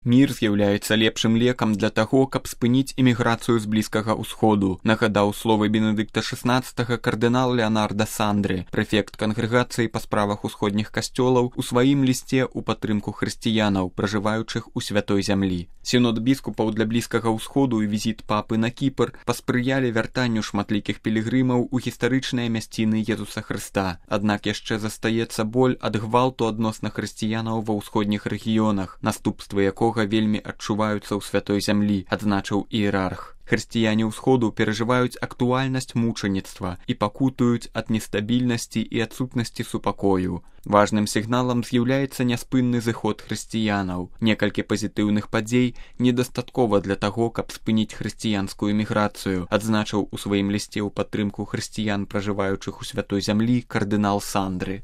Мір з'яўляецца лепшым лекам для таго, каб спыніць эміграцыю з Блізкага ўсходу, нагадаў словы Бенедыкта XVI кардынал Леонарда Сандры, прэфект кангрэгацыі па справах усходніх касцёлаў, у сваім лісце ў падтрымку хрысціянаў, пражываючых у святой зямлі. Сінод біскупаў для Блізкага ўсходу і візіт папы на Кіпр паспрыялі вяртанню шматлікіх пілігрымаў у гістарычныя мясціны Езуса Хрыста. Аднак яшчэ застаецца боль ад гвалту адносна хрысціянаў ва ўсходніх рэгіёнах, наступствы якога вельмі адчуваюцца ў святой зямлі, адзначыў іерарх. Хрысціяне ўсходу перажываюць актуальнасць мучаніцтва і пакутуюць ад нестабільнасці і адсутнасці супакою. Важным сігналам з'яўляецца няспынны зыход хрысціянаў. Некалькі пазітыўных падзей недастаткова для таго, каб спыніць хрысціянскую эміграцыю, адзначыў у сваім лісце ў падтрымку хрысціян, пражываючых у святой зямлі, кардынал Сандры.